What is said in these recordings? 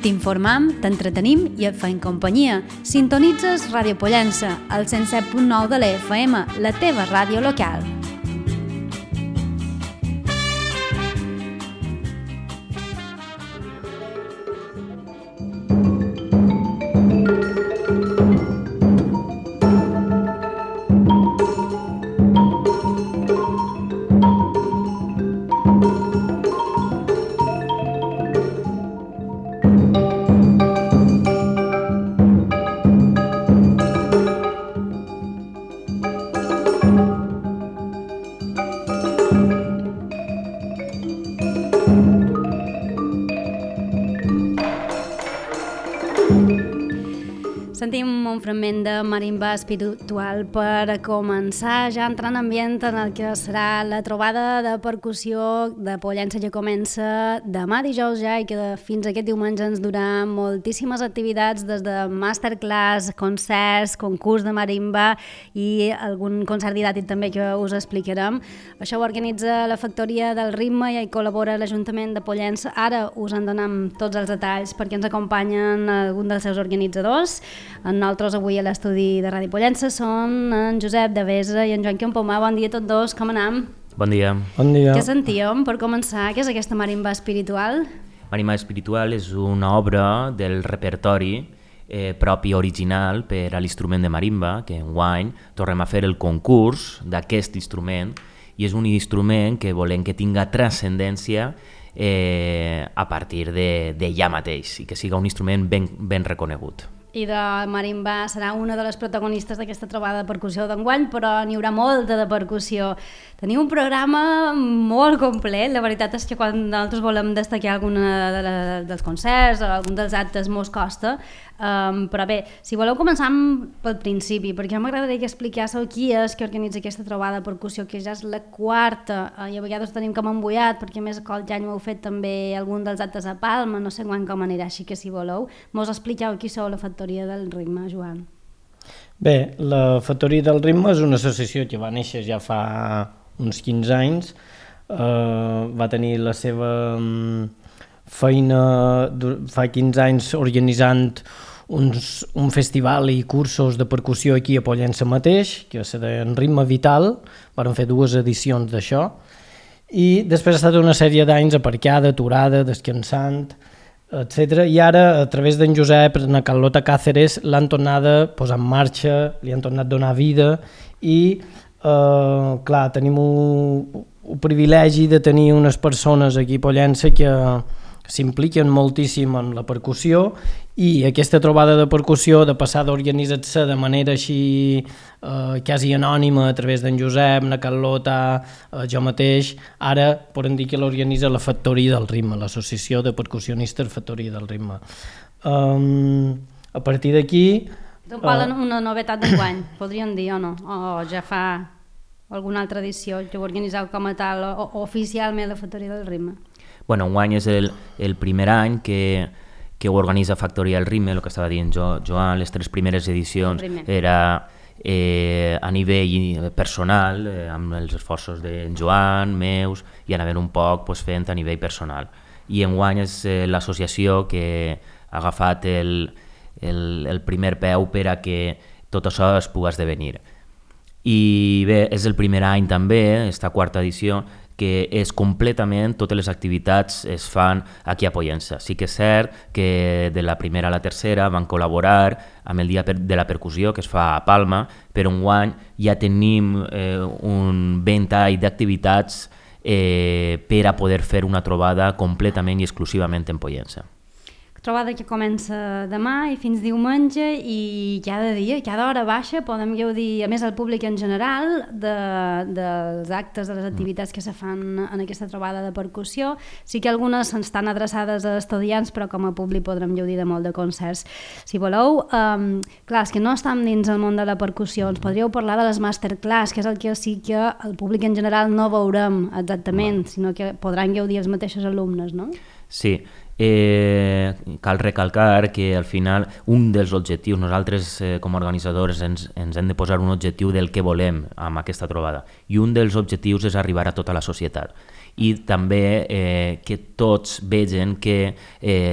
T'informam, t'entretenim i et fem companyia. Sintonitzes Ràdio Pollença, al 107.9 de l'FM, la teva ràdio local. Sentim un fragment de marimba espiritual per començar, ja entrant en ambient en el que serà la trobada de percussió de Pollença, que comença demà dijous ja i que fins aquest diumenge ens durà moltíssimes activitats, des de masterclass, concerts, concurs de marimba i algun concert didàctic també que us explicarem. Això ho organitza la Factoria del Ritme i hi col·labora l'Ajuntament de Pollença. Ara us en donem tots els detalls perquè ens acompanyen algun dels seus organitzadors. Nosaltres avui a l'estudi de Ràdio Pollença són en Josep Devesa i en Joan Quimpomà. Bon dia a tots dos, com anem? Bon dia. Bon dia. Què sentíem per començar? Què és aquesta marimba espiritual? Marimba espiritual és una obra del repertori propi original per a l'instrument de marimba, que enguany tornem a fer el concurs d'aquest instrument, i és un instrument que volem que tinga transcendència a partir de ja mateix i que siga un instrument ben reconegut. I de marimba serà una de les protagonistes d'aquesta trobada de percussió d'enguany, però n'hi haurà molta de percussió. Teniu un programa molt complet. La veritat és que quan nosaltres volem destacar algun dels concerts o algun dels actes mos costa, però bé, si voleu començar pel principi, perquè m'agradaria que expliquéssiu qui és que organitza aquesta trobada de percussió, que ja és la quarta, i a vegades tenim com embullat, perquè a més el ja heu fet també algun dels actes a Palma, no sé quan com anirà, així que si voleu, mos expliqueu qui sou la Factoria del Ritme, Joan. Bé, la Factoria del Ritme és una associació que va néixer ja fa uns 15 anys, va tenir la seva feina fa 15 anys organitzant un festival i cursos de percussió aquí a Pollença mateix, que se deien Ritme Vital, van fer 2 edicions d'això, i després ha estat una sèrie d'anys aparcada, aturada, descansant, etc. I ara, a través d'en Josep, na Carlota Cáceres, l'han tornat a posar en marxa, li han tornat a donar vida i, clar, tenim el privilegi de tenir unes persones aquí a Pollença que s'impliquen moltíssim en la percussió, i aquesta trobada de percussió, de passar d'organitzar-se de manera així quasi anònima a través d'en Josep, na Carlota, jo mateix, ara podem dir que l'organitza la Factoria del Ritme, l'associació de percussionistes Factoria del Ritme. A partir d'aquí... Una novetat d'enguany, podríem dir o no? O ja fa alguna altra edició que ho organitzeu com a tal, o oficialment la Factoria del Ritme? Bueno, enguany és el primer any que ho organitza Factoria del Ritme, el que estava dient Joan, les 3 primeres edicions era a nivell personal, amb els esforços d'en Joan, meus, i anàvem un poc fent a nivell personal. I enguany és l'associació que ha agafat el primer peu per a que tot això es pugui esdevenir. I bé, és el primer any també, esta quarta edició, que és completament, totes les activitats es fan aquí a Pollença. Sí que és cert que de la primera a la tercera van col·laborar amb el Dia de la Percussió, que es fa a Palma, però enguany ja tenim un ventall d'activitats per a poder fer una trobada completament i exclusivament en Pollença. Trobada que comença demà i fins diumenge, i cada dia, cada hora baixa, podem gaudir, a més el públic en general, dels actes, de les activitats que se fan en aquesta trobada de percussió. Sí que algunes estan adreçades a estudiants, però com a públic podrem gaudir de molt de concerts. Si voleu, clar, és que no estem dins el món de la percussió, ens podríeu parlar de les masterclass, que és el que sí que el públic en general no veurem exactament, sinó que podran gaudir els mateixos alumnes, no? Sí, cal recalcar que al final un dels objectius, nosaltres com a organitzadors ens hem de posar un objectiu del que volem amb aquesta trobada, i un dels objectius és arribar a tota la societat i també que tots vegen que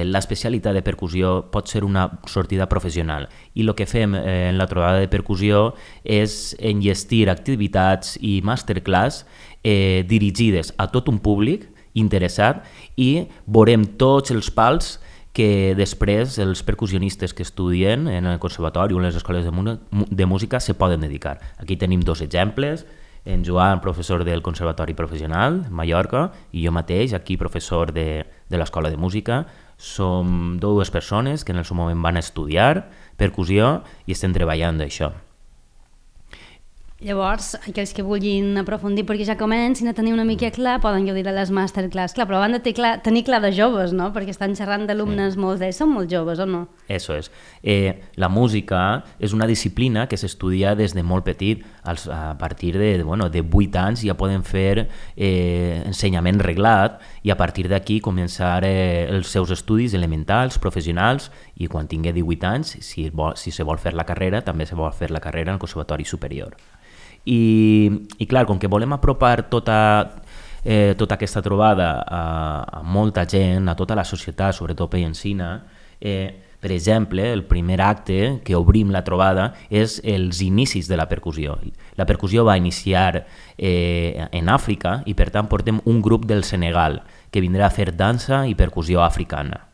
l'especialitat de percussió pot ser una sortida professional, i el que fem en la trobada de percussió és enllestir activitats i masterclass dirigides a tot un públic interessat, i veurem tots els pals que després els percussionistes que estudien en el conservatori o en les escoles de música se poden dedicar. Aquí tenim 2 exemples, en Joan, professor del Conservatori Professional, Mallorca, i jo mateix, aquí professor de l'Escola de Música. Som 2 persones que en el seu moment van estudiar percussió i estem treballant d'això. Llavors, aquells que vulguin aprofundir perquè ja comencin a tenir una mica clar, poden gaudir de les masterclass. Clar, però van de tenir clar de joves, no? Perquè estan xerrant d'alumnes, molts d'ells són molt joves, o no? Eso és. La música és una disciplina que s'estudia des de molt petit. A partir de 8 anys ja poden fer ensenyament reglat i a partir d'aquí començar els seus estudis elementals, professionals, i quan tingui 18 anys, si se vol fer la carrera, també se vol fer la carrera en el Conservatori Superior. I clar, com que volem apropar tota aquesta trobada a molta gent, a tota la societat, sobretot penyensina, per exemple, el primer acte que obrim la trobada és els inicis de la percussió. La percussió va iniciar en Àfrica i per tant portem un grup del Senegal que vindrà a fer dansa i percussió africana.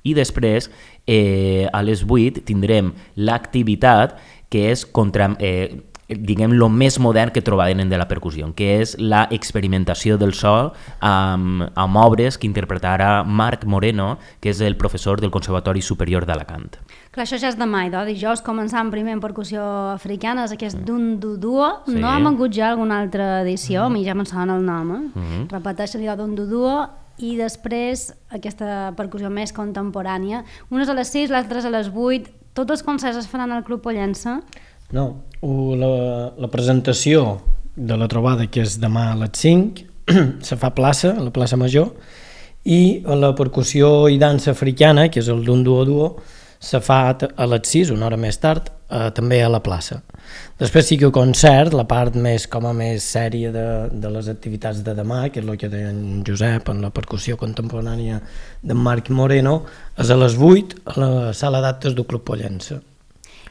I després, a les 8, tindrem l'activitat que és diguem, el més modern que trobarem de la percussió, que és la experimentació del so amb obres que interpretarà Marc Moreno, que és el professor del Conservatori Superior d'Alacant. Clar, això ja és demà, dijous començant primer en percussió africana, és aquest Dunduduo, sí. No hem hagut ja alguna altra edició, a mi ja me'n sona el nom, repeteixen allò Dunduduo, i després aquesta percussió més contemporània, unes a les 6, l'altres a les 8, tots els concerts es faran al Club Pollença? No, la presentació de la trobada, que és demà a les 5, se fa a la plaça Major, i la percussió i dansa africana, que és el Dunduo, se fa a les 6, una hora més tard, també a la plaça. Després sí que el concert, la part més sèria de les activitats de demà, que és el que deia en Josep, en la percussió contemporània d'en Marc Moreno, és a les 8 a la sala d'actes del Club Pollença.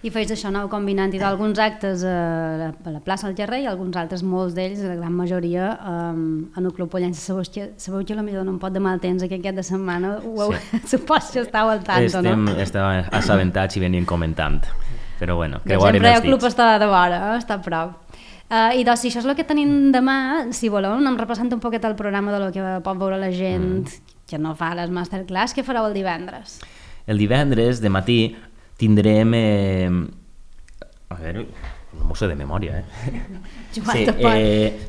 I feis això, aneu combinant alguns actes a la plaça del Carrer i alguns altres, molts d'ells, la gran majoria, en el Club Pollença. Sabeu que potser no em pot de mal temps aquest cap de setmana, supos que estàu al tanto, no? Estem assabentats i venim comentant, però bueno, creuarem els dits. Sempre el club està de vora, està a prop. I doncs, si això és el que tenim demà, si voleu, anem repassant un poquet el programa de lo que pot veure la gent que no fa les masterclass. Què fareu el divendres? El divendres, de matí, tindrem... a veure, no m'ho sé de memòria, Joan, te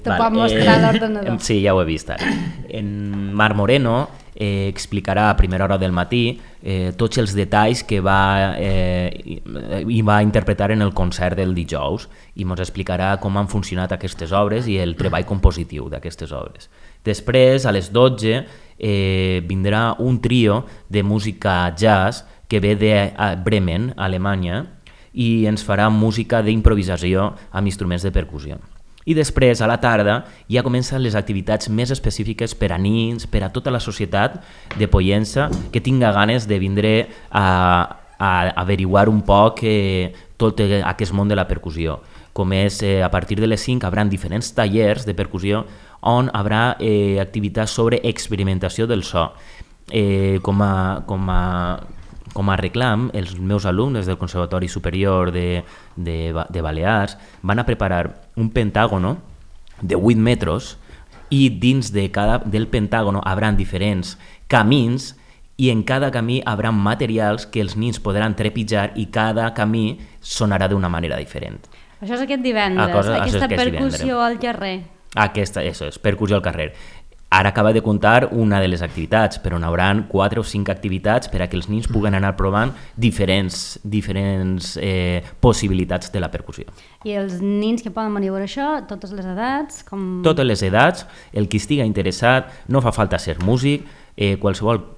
pot mostrar l'ordenador. Sí, ja ho he vist ara. En Marc Moreno explicarà a primera hora del matí tots els detalls que va interpretar en el concert del dijous i ens explicarà com han funcionat aquestes obres i el treball compositiu d'aquestes obres. Després, a les 12, vindrà un trio de música jazz que ve de Bremen, Alemanya, i ens farà música d'improvisació amb instruments de percussió. I després, a la tarda, ja comencen les activitats més específiques per a nins, per a tota la societat de Pollença que tinga ganes de vindre a averiguar un poc tot aquest món de la percussió. Com és, a partir de les 5 hi haurà diferents tallers de percussió on hi haurà activitats sobre experimentació del so. Com a reclam, els meus alumnes del Conservatori Superior de Balears van a preparar un pentàgono de 8 metres i dins del pentàgono hi haurà diferents camins i en cada camí hi haurà materials que els nins podran trepitjar i cada camí sonarà d'una manera diferent. Això és aquest divendres, aquesta percussió al carrer. Això és, percussió al carrer. Ara acaba de contar una de les activitats, però n'hi haurà 4 o 5 activitats per a que els nins puguen anar provant diferents possibilitats de la percussió. I els nins que poden venir a veure això, totes les edats? Totes les edats, el que estigui interessat, no fa falta ser músic, qualsevol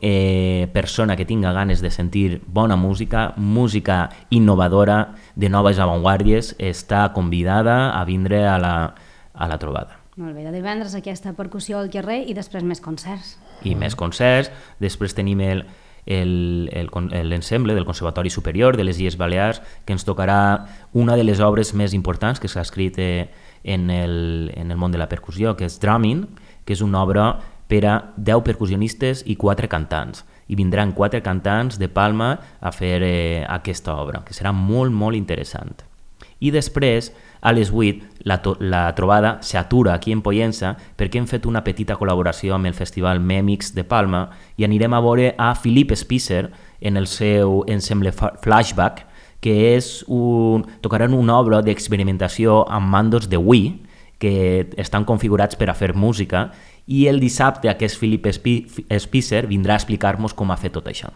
persona que tinga ganes de sentir bona música, música innovadora, de noves avantguàrdies, està convidada a vindre a la trobada. Molt bé, de divendres aquesta percussió al carrer i després més concerts. I més concerts, després tenim l'ensemble del Conservatori Superior de les Illes Balears, que ens tocarà una de les obres més importants que s'ha escrit en el món de la percussió, que és Drumming, que és una obra per a 10 percussionistes i 4 cantants. I vindran 4 cantants de Palma a fer aquesta obra, que serà molt, molt interessant. I després, a les 8, la trobada s'atura aquí en Pollença perquè hem fet una petita col·laboració amb el Festival Mèmix de Palma i anirem a veure a Philip Spicer en el seu ensemble Flashback, que tocaran una obra d'experimentació amb mandos de Wii que estan configurats per a fer música, i el dissabte aquest Philip Spicer vindrà a explicar-nos com ha fet tot això.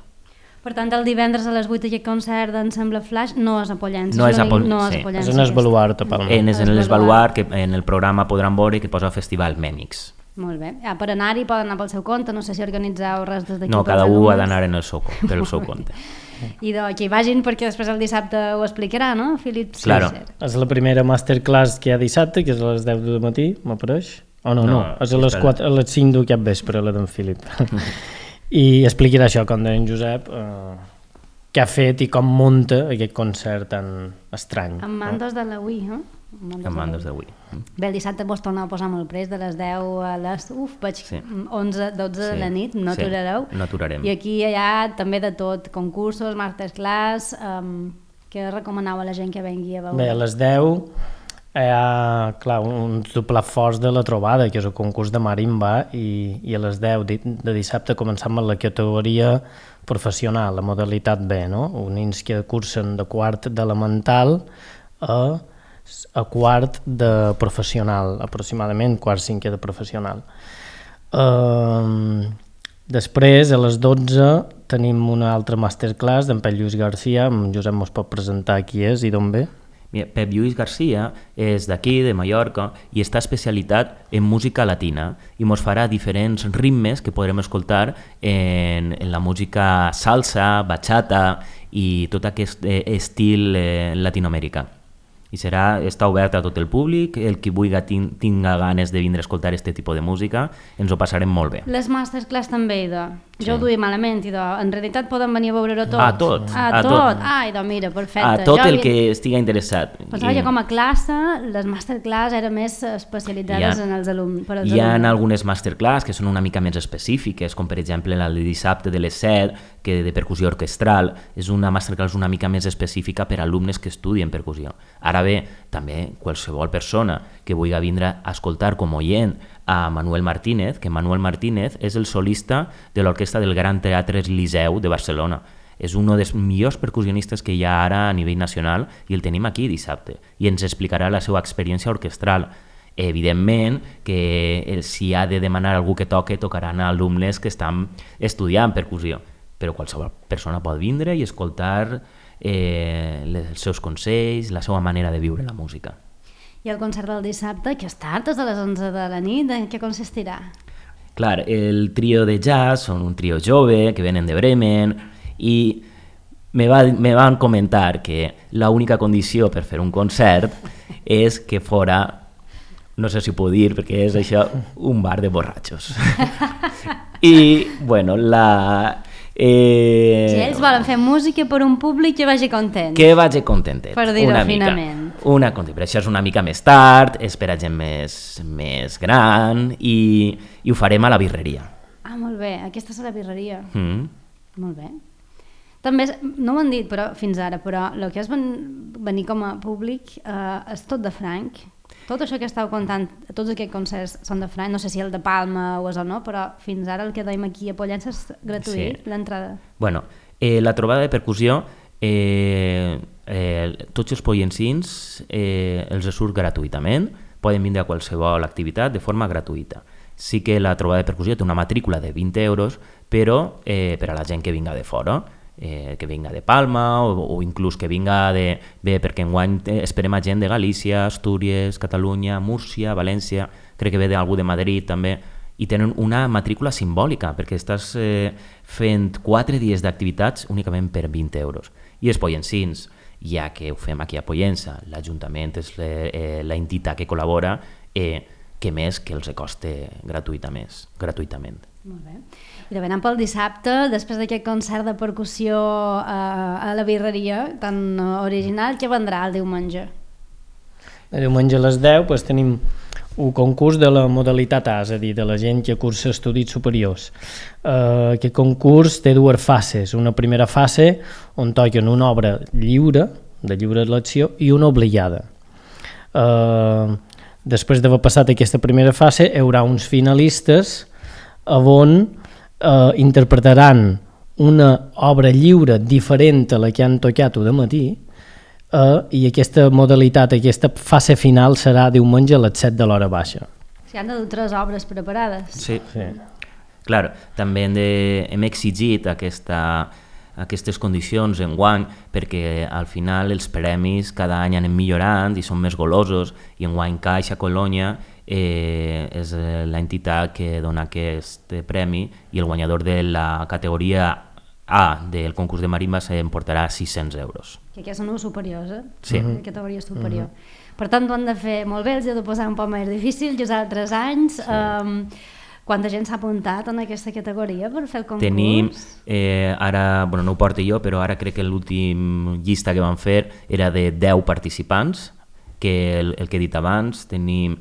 Per tant, el divendres a les 8 aquest concert d'ensemble Flash no és a Pollença. No és a Pollença. És en Esbaluart, a Palma. És en l'Esbaluart, que en el programa podran veure que posa Festival Mèmix. Molt bé. Per anar-hi poden anar pel seu compte, no sé si organitzeu res des d'aquí. No, cada un ha d'anar pel seu compte. I que hi vagin perquè després el dissabte ho explicarà, no, Philip Spicer? Claro. És la primera masterclass que hi ha dissabte, que és a les 10 del matí, m'apareix? No, és a les 5 d'aquest vespre, la d'en Philip. I explicarà això, com deia en Josep, què ha fet i com munta aquest concert tan estrany. Amb mandos de la Wii, no? Amb mandos de Wii. Bé, el dissabte vos torneu a posar molt prest, de les 10 a les 11, 12 de la nit, no aturareu. No aturarem. I aquí hi ha també de tot, concursos, masterclass, que recomaneu a la gent que vengui a veure. Bé, a les 10 hi ha, clar, un doble forç de la trobada, que és el concurs de marimba, i a les 10 de dissabte començam amb la categoria professional, la modalitat B, no? Nens que cursen de quart d'elemental a quart de professional, aproximadament quart cinquè de professional. Després, a les 12, tenim una altra masterclass d'en Pep Lluís Garcia, en Josep mos pot presentar qui és i d'on ve. Pep Lluís Garcia és d'aquí, de Mallorca, i està especialitat en música latina i ens farà diferents ritmes que podrem escoltar en la música salsa, bachata i tot aquest estil latinoamericà. I està obert a tot el públic, el que vulgui tinga ganes de vindre a escoltar aquest tipus de música, ens ho passarem molt bé. Les masterclass també, jo ho duia malament, en realitat poden venir a veure-ho tot. A tot. Ai, mira, perfecte. A tot el que estigui interessat. Pensava que com a classe, les masterclass eren més especialitzades en els alumnes. Hi ha algunes masterclass que són una mica més específiques, com per exemple la de dissabte de les 7, que de percussió orquestral, és una masterclass una mica més específica per a alumnes que estudien percussió. Ara bé, també qualsevol persona que vulgui vindre a escoltar com oient a Manuel Martínez, que Manuel Martínez és el solista de l'orquestra del Gran Teatre Liceu de Barcelona. És un dels millors percussionistes que hi ha ara a nivell nacional i el tenim aquí dissabte i ens explicarà la seva experiència orquestral. Evidentment que si ha de demanar algú que tocaran alumnes que estan estudiant percussió, però qualsevol persona pot vindre i escoltar els seus consells, la seva manera de viure la música. I el concert del dissabte, que és tard, és a les 11 de la nit, en què consistirà? Clar, el trio de jazz són un trio jove que venen de Bremen i me van comentar que l'única condició per fer un concert és que fora, no sé si ho puc dir perquè és això, un bar de borratxos. I, bueno, si ells volen fer música per un públic que vagi content. Que vagi contentet. Per dir-ho finament. Però això és una mica més tard, és per a gent més gran i ho farem a la birreria. Ah, molt bé, aquesta és la birreria. Molt bé. També, no ho han dit fins ara, però el que és venir com a públic és tot de franc. Tot això que estàu contant, tots aquests concerts són de franc, no sé si el de Palma o és o no, però fins ara el que dèiem aquí a Pollença és gratuït, l'entrada. Bueno, la trobada de percussió, tots els pollensins els surt gratuïtament, poden vindre a qualsevol activitat de forma gratuïta. Sí que la trobada de percussió té una matrícula de 20 euros, però per a la gent que vinga de fora, que vinga de Palma o inclús que vinga bé, perquè enguany esperem a gent de Galícia, Astúries, Catalunya, Múrcia, València, crec que ve d'algú de Madrid també, i tenen una matrícula simbòlica, perquè estàs fent 4 dies d'activitats únicament per 20 euros. I els pollensins, ja que ho fem aquí a Pollença, l'Ajuntament és l'entitat que col·labora, que més que els costa gratuïtament. Molt bé. I de venant pel dissabte, després d'aquest concert de percussió a la birreria tan original, què vendrà el diumenge? El diumenge a les 10 tenim un concurs de la modalitat A, és a dir, de la gent que cursa estudis superiors. Aquest concurs té 2 fases. Una primera fase on toquen una obra lliure, de lliure elecció, i una obligada. Després d'haver passat aquesta primera fase, hi haurà uns finalistes on interpretaran una obra lliure diferent a la que han tocat de matí, i aquesta modalitat, aquesta fase final serà diumenge a les 7 de l'hora baixa. Si han de dur 3 obres preparades. Sí. Clar, també hem exigit aquestes condicions enguany perquè al final els premis cada any anem millorant i són més golosos, i enguany Caixa Colònia és l'entitat que dona aquest premi, i el guanyador de la categoria A del concurs de marimba s'emportarà 600 euros. Que aquests són els superiors, Sí. De categoria superior. Per tant, ho han de fer molt bé, els he de posar un poc més difícil, que els altres anys. Quanta gent s'ha apuntat en aquesta categoria per fer el concurs? Tenim, ara, no ho porto jo, però ara crec que l'últim llista que vam fer era de 10 participants, que el que he dit abans. Tenim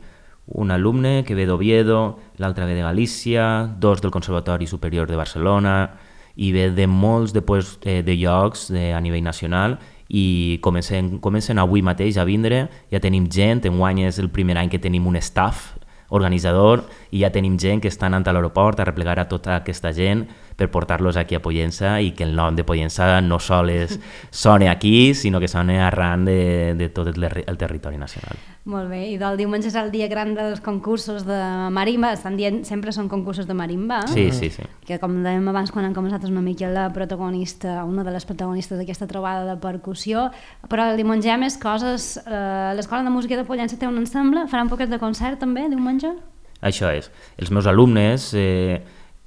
un alumne que ve d'Oviedo, l'altre ve de Galícia, 2 del Conservatori Superior de Barcelona, i ve de molts de llocs a nivell nacional, i comencen avui mateix a vindre. Ja tenim gent, enguany és el primer any que tenim un staff organitzador, i ja tenim gent que està anant a l'aeroport a replegar a tota aquesta gent per portar-los aquí a Pollença, i que el nom de Pollença no sols soni aquí, sinó que soni arran de tot el territori nacional. Molt bé, i del diumenge és el dia gran dels concursos de marimba. Estan dient sempre són concursos de marimba, Sí. que com dèiem abans quan hem començat és una mica una de les protagonistes d'aquesta trobada de percussió, però el diumenge hi ha més coses. L'Escola de Música de Pollença té un ensemble, farà un poquet de concert també diumenge? Això és, els meus alumnes,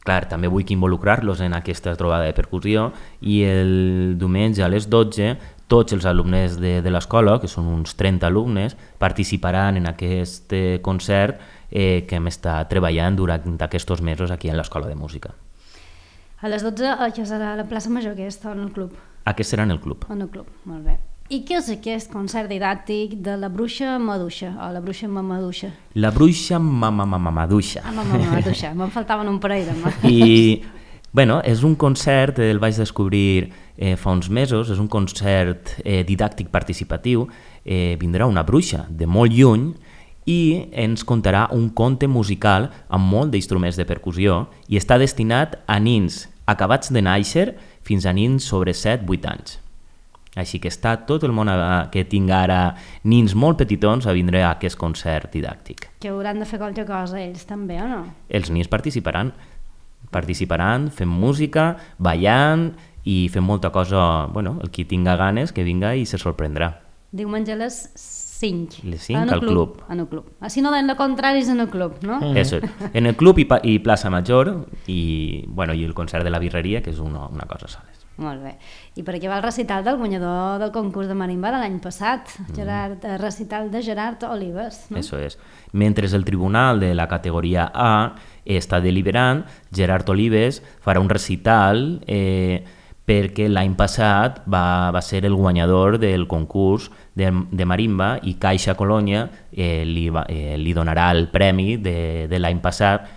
clar, també vull involucrar-los en aquesta trobada de percussió, i el diumenge a les 12 tots els alumnes de l'escola, que són uns 30 alumnes, participaran en aquest concert que hem estat treballant durant aquests mesos aquí a l'Escola de Música. A les 12, que serà a la plaça Major aquesta, o en el club? Aquest serà en el club. En el club, molt bé. I què és aquest concert didàctic de la bruixa Maduixa, o la bruixa Mamaduixa? La bruixa Mamaduixa. Mamaduixa, me'n faltaven un parell de mà. I, és un concert, el vaig descobrir fa uns mesos, és un concert didàctic participatiu. Vindrà una bruixa de molt lluny i ens contarà un conte musical amb molt d'instruments de percussió, i està destinat a nins acabats de néixer fins a nins sobre 7-8 anys. Així que està tot el món que tinga ara nins molt petitons a vindre a aquest concert didàctic. Que hauran de fer qualque cosa ells també, o no? Els nins participaran, fent música, ballant i fent molta cosa. El qui tinga ganes que vinga i se sorprendrà. Diumenge a les 5. Les 5 al club. En el club. Si no, en el contrari és en el club, no? Eso, en el club i plaça Major, i el concert de la birreria, que és una cosa sola. Molt bé. I per aquí va el recital del guanyador del concurs de marimba de l'any passat, recital de Gerard Olives. No? Eso és. Mentre el tribunal de la categoria A està deliberant, Gerard Olives farà un recital perquè l'any passat va ser el guanyador del concurs de marimba, i Caixa Colònia li donarà el premi de l'any passat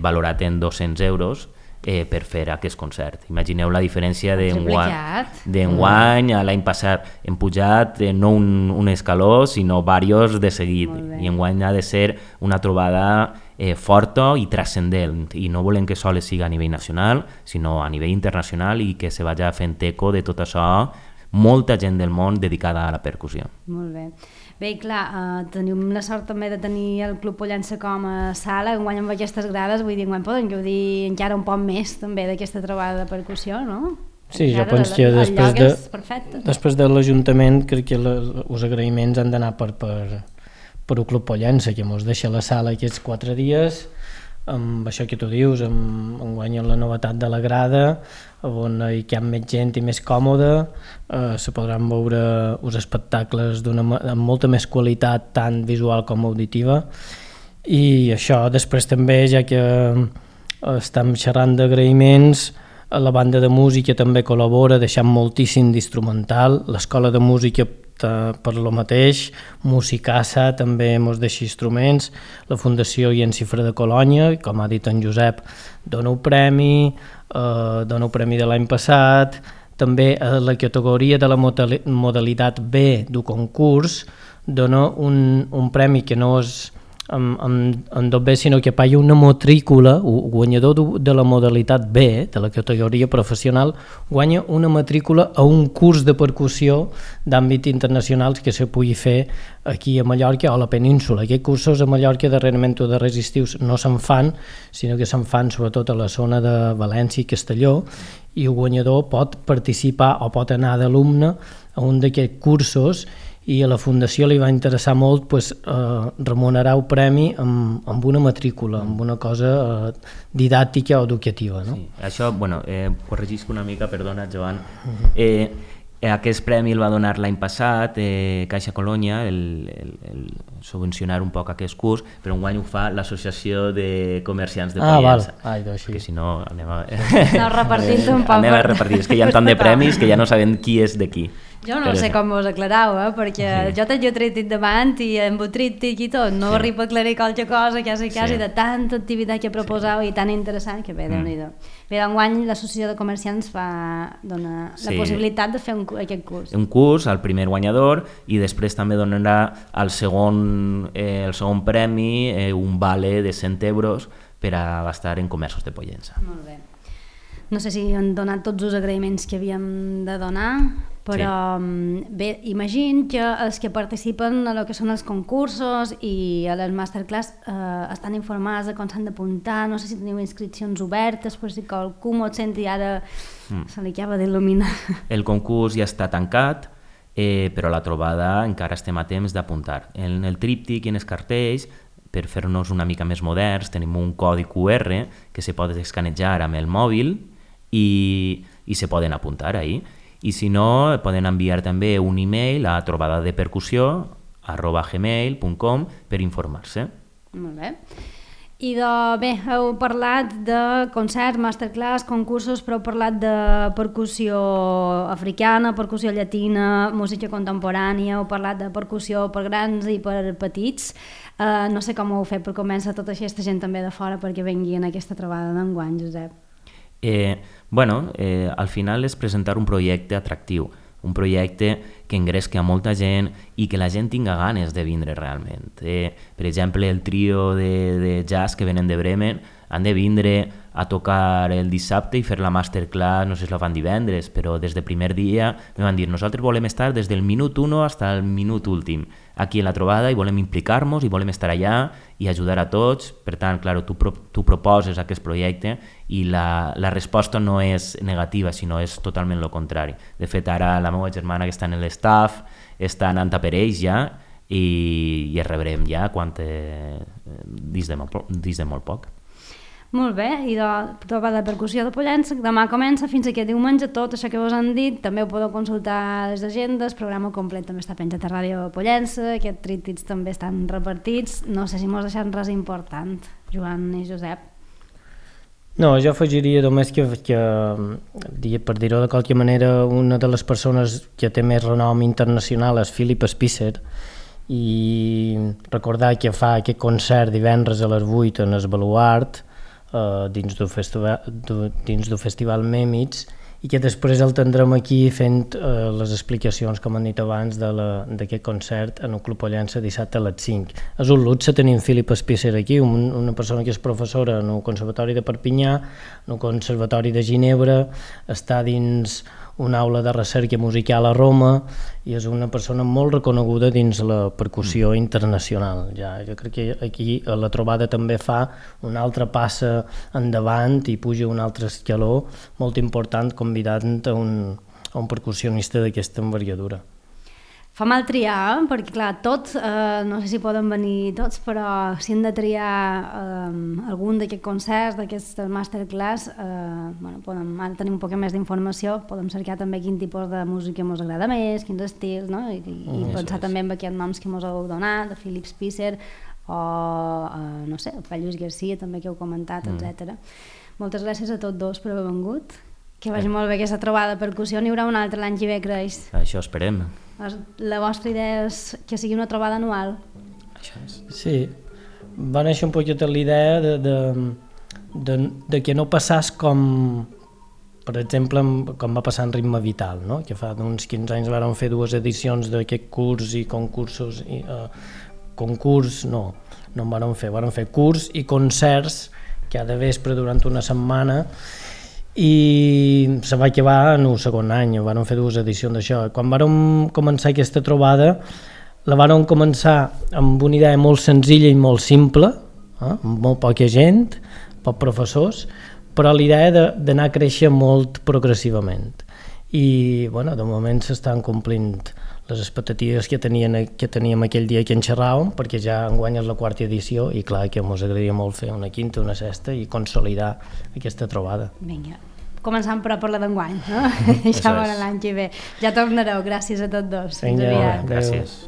valorat en 200 euros per fer aquest concert. Imagineu la diferència d'enguany a l'any passat. Hem pujat no un escaló, sinó diversos de seguit, i enguany ha de ser una trobada forta i transcendent, i no volem que sols sigui a nivell nacional, sinó a nivell internacional, i que se vagi fent eco de tot això, molta gent del món dedicada a la percussió. Molt bé. Bé, i clar, tenim la sort també de tenir el Club Pollença com a sala, enguany amb aquestes grades, vull dir, enguany poden gaudir encara un poc més també d'aquesta trobada de percussió, no? Sí, jo penso que després de l'Ajuntament crec que els agraïments han d'anar per el Club Pollença, que ens deixa la sala aquests 4 dies amb això que tu dius, enguany la novetat de la grada, on hi ha més gent i més còmode, se podran veure uns espectacles amb molta més qualitat, tant visual com auditiva, i això després també, ja que estem xerrant d'agraïments, la banda de música també col·labora deixant moltíssim d'instrumental, l'escola de música per lo mateix, Musicassa també ens deixa instruments, la Fundació Iencifra de Colònia, com ha dit en Josep, dona un premi de l'any passat, també a la categoria de la modalitat B del concurs dona un premi que no és en tot bé, sinó que paga una matrícula, el guanyador de la modalitat B, de la categoria professional, guanya una matrícula a un curs de percussió d'àmbit internacional que se pugui fer aquí a Mallorca o a la península. Aquests cursos a Mallorca darrerament o darrers estius no se'n fan, sinó que se'n fan sobretot a la zona de València i Castelló, i el guanyador pot participar o pot anar d'alumne a un d'aquests cursos, i a la Fundació li va interessar molt remunerar el premi amb una matrícula, amb una cosa didàctica o educativa. No? Sí, això, corregisc una mica, perdona, Joan. Aquest premi el va donar l'any passat Caixa Colònia, el subvencionar un poc aquest curs, però enguany ho fa l'Associació de Comerciants de Pollença. Perquè si no anem a... No, repartint un poc. Anem a repartir, és que hi ha tant de premis que ja no sabem qui és de qui. Jo no sé com us aclarau, perquè jo tengo tríptic davant i amb el tríptic i tot, no arribo a aclarir qualque cosa, quasi de tanta activitat que proposeu i tan interessant que bé, Déu-n'hi-do. Bé, enguany l'Associació de Comerciants dona la possibilitat de fer aquest curs. Un curs al primer guanyador i després també donarà el segon premi, un vale de 100 euros per a gastar en comerços de Pollença. Molt bé. No sé si han donat tots els agraïments que havíem de donar, però bé, imagino que els que participen a lo que són els concursos i a les masterclass estan informats de com s'han d'apuntar, no sé si teniu inscripcions obertes, per si qualcú m'ho senti ara se li acaba d'il·luminar. El concurs ja està tancat, però la trobada encara estem a temps d'apuntar. En el tríptic i en els cartells, per fer-nos una mica més moderns, tenim un codi QR que se pot escanejar amb el mòbil i se poden apuntar ahí. I si no, poden enviar també un email a trobadepercussió@gmail.com per informar-se. Molt bé. I bé, heu parlat de concerts, masterclass, concursos, però heu parlat de percussió africana, percussió llatina, música contemporània, heu parlat de percussió per grans i per petits. No sé com ho heu fet per convèncer tota aquesta gent també de fora perquè vengui en aquesta trobada d'enguany, Josep. Al final és presentar un projecte atractiu, un projecte que engresqui a molta gent i que la gent tinga ganes de vindre realment. Per exemple, el trio de jazz que venen de Bremen han de vindre a tocar el dissabte i fer la masterclass, no sé si la fan divendres, però des del primer dia me van dir nosaltres volem estar des del minut 1 fins al minut últim aquí en la trobada i volem implicar-nos i volem estar allà i ajudar a tots. Per tant, clar, tu proposes aquest projecte i la resposta no és negativa, sinó és totalment el contrari. De fet, ara la meva germana que està en l'estaff està anant a per ells ja i es rebrem ja dins de molt poc. Molt bé, i la trobada de percussió de Pollença demà comença fins aquest diumenge, tot això que us han dit, també ho podeu consultar a les agendes, el programa complet també està penjat a Ràdio Pollença, aquests tríptics també estan repartits, no sé si m'ho has deixat res important, Joan i Josep. No, jo afegiria només que per dir-ho de qualque manera, una de les persones que té més renom internacional és Philip Spicer, i recordar que fa aquest concert divendres a les 8 en el Baluart, dins del festival Mèmits, i que després el tindrem aquí fent les explicacions, com han dit abans, d'aquest concert en el Club Pollença dissabte a les 5. És un luxe tenir Philip Spicer aquí, una persona que és professora en el Conservatori de Perpinyà, en el Conservatori de Ginebra, està dins una aula de recerca musical a Roma i és una persona molt reconeguda dins la percussió internacional. Jo crec que aquí la trobada també fa una altra passa endavant i puja un altre escaló molt important convidant a un percussionista d'aquesta envergadura. Fa mal triar, perquè clar, tots, no sé si poden venir tots, però si hem de triar algun d'aquests concerts, d'aquest masterclass, ara tenim un poc més d'informació, podem cercar també quin tipus de música ens agrada més, quins estils, no? I pensar també en aquests noms que ens heu donat, de Philip Spicer, o no sé, el Lluís Garcia també que heu comentat, etc. Moltes gràcies a tots dos per haver vengut, que vagi molt bé aquesta trobada de percussió. N'hi haurà una altra l'any que ve, creix? Això esperem. La vostra idea és que sigui una trobada anual? Això és. Sí, va néixer un poquet l'idea de que no passàs com, per exemple, com va passar en Ritme Vital, no? Que fa uns 15 anys vàrem fer 2 edicions d'aquest curs i concursos, concurs no en vàrem fer curs i concerts cada vespre durant una setmana, i se va acabar en el segon any, vam fer 2 edicions d'això. Quan vam començar aquesta trobada, la vam començar amb una idea molt senzilla i molt simple, amb molt poca gent, pocs professors, però l'idea d'anar a créixer molt progressivament. I de moment s'estan complint les expectatives que teníem aquell dia que en xerràvem, perquè ja enguany és la 4ª edició i clar que ens agradaria molt fer una 5ª, una 6ª i consolidar aquesta trobada. Vinga, començant per la d'enguany, no? Ja veurà l'any que ve. Ja tornareu, gràcies a tots dos. Vinga, gràcies.